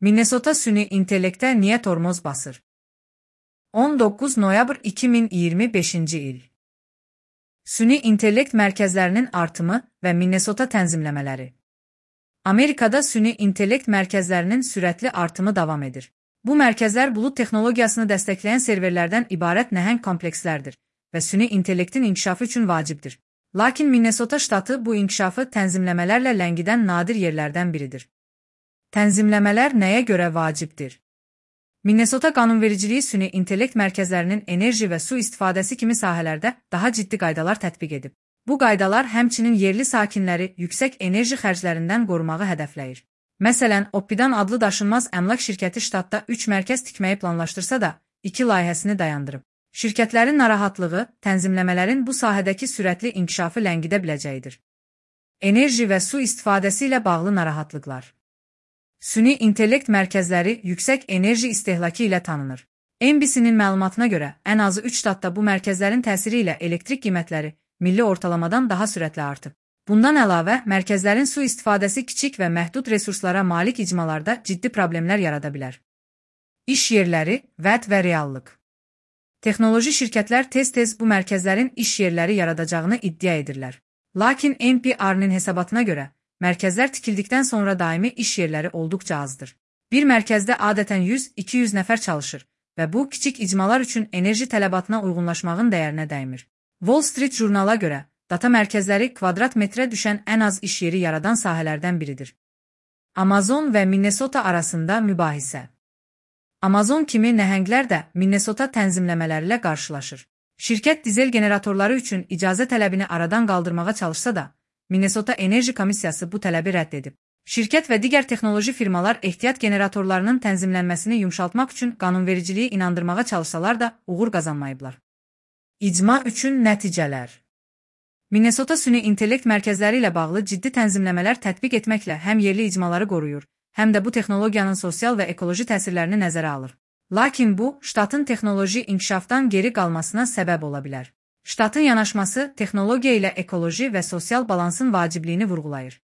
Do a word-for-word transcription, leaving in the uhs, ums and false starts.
Minnesota süni intellektə niyə tormoz basır? on doqquz noyabr iki min iyirmi beşinci il. Süni intellekt mərkəzlərinin artımı və Minnesota tənzimləmələri. Amerikada süni intellekt mərkəzlərinin sürətli artımı davam edir. Bu mərkəzlər bulut texnologiyasını dəstəkləyən serverlərdən ibarət nəhəng komplekslərdir və süni intellektin inkişafı üçün vacibdir. Lakin Minnesota ştatı bu inkişafı tənzimləmələrlə ləngidən nadir yerlərdən biridir. Tənzimləmələr nəyə görə vacibdir? Minnesota qanunvericiliyi süni intellekt mərkəzlərinin enerji və su istifadəsi kimi sahələrdə daha ciddi qaydalar tətbiq edib. Bu qaydalar həmçinin yerli sakinləri yüksək enerji xərclərindən qorumağı hədəfləyir. Məsələn, Oppidan adlı daşınmaz əmlak şirkəti ştatda üç mərkəz tikməyi planlaşdırsa da, iki layihəsini dayandırıb. Şirkətlərin narahatlığı, tənzimləmələrin bu sahədəki sürətli inkişafı ləngidə biləcəyidir. Enerji və su istifadəsi ilə bağlı narahatlıqlar. Süni intellekt mərkəzləri yüksək enerji istehlakı ilə tanınır. N B C-nin məlumatına görə, ən azı üç ştatda bu mərkəzlərin təsiri ilə elektrik qiymətləri milli ortalamadan daha sürətli artıb. Bundan əlavə, mərkəzlərin su istifadəsi kiçik və məhdud resurslara malik icmalarda ciddi problemlər yarada bilər. İş yerləri, vəd və reallıq. Texnoloji şirkətlər tez-tez bu mərkəzlərin iş yerləri yaradacağını iddia edirlər. Lakin N P R-nin hesabatına görə, mərkəzlər tikildikdən sonra daimi iş yerləri olduqca azdır. Bir mərkəzdə adətən yüz iki yüz nəfər çalışır və bu, kiçik icmalar üçün enerji tələbatına uyğunlaşmağın dəyərinə dəymir. Wall Street jurnala görə, data mərkəzləri kvadrat metrə düşən ən az iş yeri yaradan sahələrdən biridir. Amazon və Minnesota arasında mübahisə. Amazon kimi nəhənglər də Minnesota tənzimləmələri ilə qarşılaşır. Şirkət dizel generatorları üçün icazə tələbini aradan qaldırmağa çalışsa da, Minnesota Enerji Komissiyası bu tələbi rədd edib. Şirkət və digər texnoloji firmalar ehtiyat generatorlarının tənzimlənməsini yumşaltmaq üçün qanunvericiliyi inandırmağa çalışsalar da uğur qazanmayıblar. İcma üçün nəticələr. Minnesota süni intellekt mərkəzləri ilə bağlı ciddi tənzimləmələr tətbiq etməklə həm yerli icmaları qoruyur, həm də bu texnologiyanın sosial və ekoloji təsirlərini nəzərə alır. Lakin bu, ştatın texnoloji inkişafdan geri qalmasına səbəb ola bilər. Ştatın yanaşması texnologiya ilə ekoloji və sosial balansın vacibliyini vurğulayır.